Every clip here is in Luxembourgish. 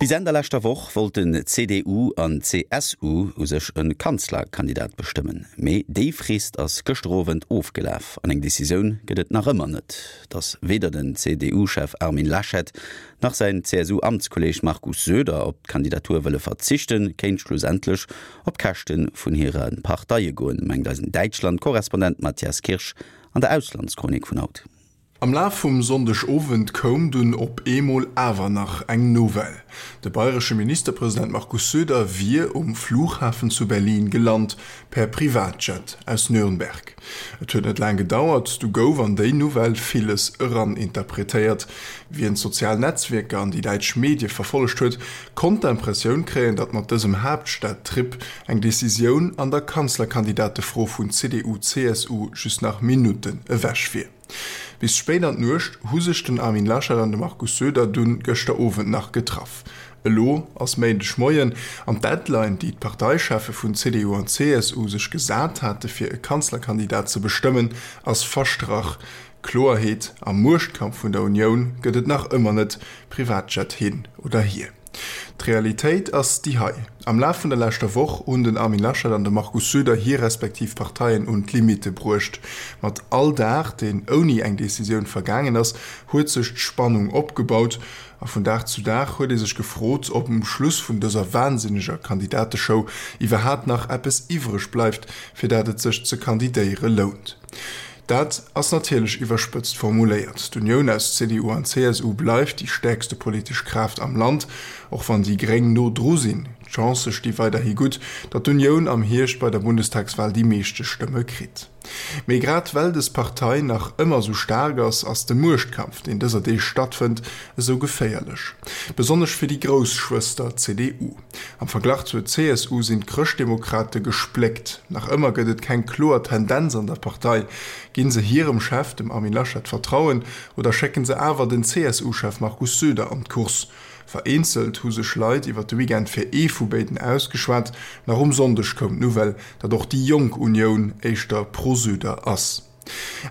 Bis Enn der leschter Woch wollten CDU an CSU u sech e Kanzlerkandidat bestëmmen. Mee déi Frist ass gëschter Owend ofgelaf an eng Decisioun gëtt et nach ëmmer net. Datt weder den CDU-Chef Armin Laschet nach säin CSU-Amtskolleeg Markus Söder op d'Kandidatur wëlle verzichten, kéint schlussendlech op d'Käschte vun hire Parteie goen, mengt eisen Däitschland-Korrespondent Matthias Kirsch an der Auslandschronik vun haut. Am Laf vum Sonndeg Owend koum dunn op eemol awer nach eng Nouvelle, De bayresche Ministerpresident Markus Söder wier um Flughafen zu Berlin gelant, per Privatjet aus Nürnberg. Et huet net laang gedauert, du gouf an déi Nouvelle villes eraninterpretéiert. Wien d'sozial Netzwierker an déi däitsch Medie verfollegt huet, konnt d'Impressioun kréien, datt mat dësem Haaptstad-Trip eng Decisioun an der Kanzlerkandidatefro vun CDU-CSU just nach Minutten ewech wier. Bis spéit an d'Nuecht hu sech den Armin Laschet an de Markus Söder dunn gëschter Owend nach getraff. Elo ass Méindeg Moien an d'Deadline, déi d'Parteicheffe vun CDU an CSU sech gesat hate fir e Kanzlerkandidat ze bestëmmen, ass verstrach. Kloerheet am Muechtkampf vun der Unioun gëtt et nach ëmmer net, Privatjet hin oder hier. D'Realitéit ass déi hei, Am Laf vun der leschter Woch hunn den Armin Laschet an de Markus Söder hir respektiv Parteien un d'Limitte bruecht. Mat all Dag, deen ouni eng Decisioun vergaangen ass, huet sech d'Spannung opgebaut. A vun Dag zu Dag huet ee sech gefrot, ob um Schluss vun dëser wahnsinneger Kandidateshow iwwerhaapt nach eppes iwwreg bleift, fir dat et sech ze kandidéiere lount. Dat ass natierlech iwwerspëtzt formuléiert. D'Unioun aus CDU an CSU bleift déi stäerkste politesch Kraaft am Land, och wann déi Gréng no dru sinn. D'Chancë sti weiderhi gutt, datt d'Unioun am Hierscht bei der Bundestagswal déi meeschte Stëmme kritt. Mee grad well dës Partei nach ëmmer esou staark ass, ass de Muechtkampf, deen dëser Deeg stattfënnt, esou geféierlech. Besonnesch fir déi grouss Schwëster CDU. Am Verglach zur CSU sinn d'Chrëschtdemokrate gespléckt. Nach ëmmer gëtt et keng kloer Tendenz an der Partei. Ginn se hirem Chef, dem Armin Laschet, Vertrauen oder schécken se awer den CSU-Chef Markus Söder an d'Course? Vereenzelt hu sech Leit iwwer de Weekend fir ee vu béiden ausgeschwat. Nach um Sonndeg koum d'Nouvelle, datt och déi jonk Unioun éischter pro Söder ass.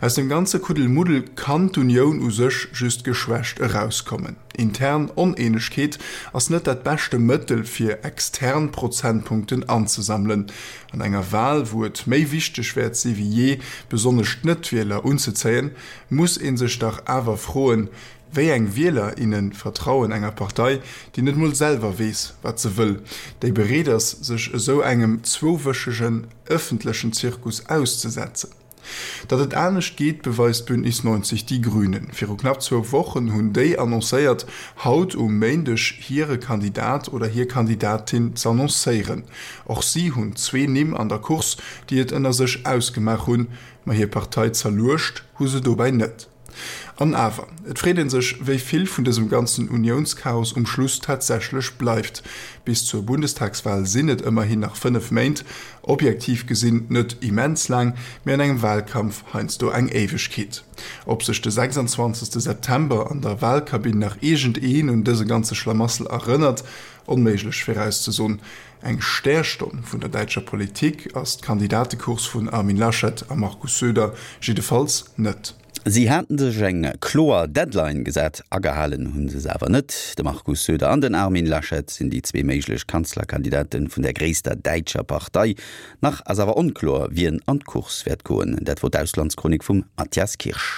Aus dem ganze Kuddelmuddel kann d'Unioun u sech just geschwächt erauskommen. Intern Oneenegkeet ass net dat beschte Mëttel fir extern Prozentpunkten anzesammelen. An enger Wahl, wou et méi wichteg wäert si wéi jee, besonnesch d'Net-Wieler unzezéien, muss ee sech dach awer froen, Wéi eng Wieler, inne vertrauen enger Partei, déi net mol selwer weess, wat se wëll, déi bereet ass, sech esou engem zwouwëchegen ëffentlechen Zirkus auszesetzen? Datt et anescht geet, beweist Bündnis 90 Die Grünen. Viru knapp zwou Wochen hunn déi annoncéiert, haut um Méindeg hire Kandidat oder hir Kandidatin z'annoncéieren. Och si hunn zwee Nimm an der Course, déi et ënner sech ausgemaach hunn, ma hir Partei zerluecht hu se dobäi net. An awer, et freet ee sech, wéi vill vun dësem ganzen Uniounschaos um Schluss tatsächlech bleift. Bis zur Bundestagswal sinn et ëmmerhin nach 5 Méint, objektiv gesinn net immens laang, mee an engem Walkampf heiansdo eng Éiwegkeet. Ob sech de 26 September an der Walkabinn nach iergendeen un dëse ganze Schlamassel erënnert? Onméiglech virauszesoen. Eng Stärstonn vun der däitscher Politik ass d'Kandidatecourse vun Armin Laschet a Markus Söder jiddefalls net. Si haten sech eng kloer Deadline gesat, agehalen hu se se awer net. De Markus Söder an den Armin Laschet sinn déi zwee méiglech Kanzlerkandidate vun der gréisster däitscher Partei. Nach ass awer onkloer, wien an d'Course wäert goen. Dat wor d'Auslandschronik vum Mathias Kirsch.